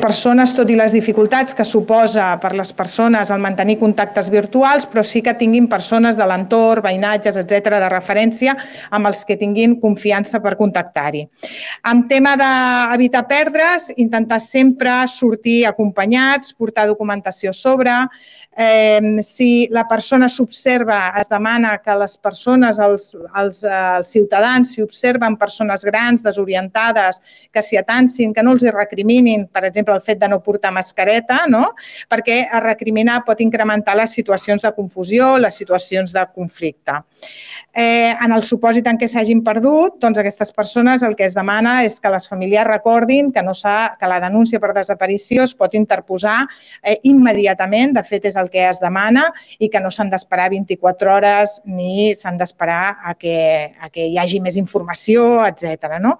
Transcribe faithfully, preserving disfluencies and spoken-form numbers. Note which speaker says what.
Speaker 1: persones, tot i les dificultats que suposa per les persones el mantenir contactes virtuals, però sí que tinguin persones de l'entorn, veïnatges, etcètera, de referència amb els que tinguin confiança per contactar-hi. En tema d'evitar perdre's, intentar sempre sortir acompanyats, portar documentació a sobre. Eh, si la persona s'observa, es demana que les persones, els, els, els ciutadans, si observen persones grans, desorientades, que s'hi atansin, que no els recriminin, per exemple, el fet de no portar mascareta, no? Perquè a recriminar pot incrementar les situacions de confusió, les situacions de conflicte. Eh, en el supòsit en què s'hagin perdut, doncs aquestes persones el que es demana és que les famílies recordin que, no que la denúncia per desaparició es pot interposar eh, immediatament, de fet és el que es demana, i que no s'han d'esperar vint-i-quatre hores ni s'han d'esperar a, que, a que hi hagi més informació, etcètera. No?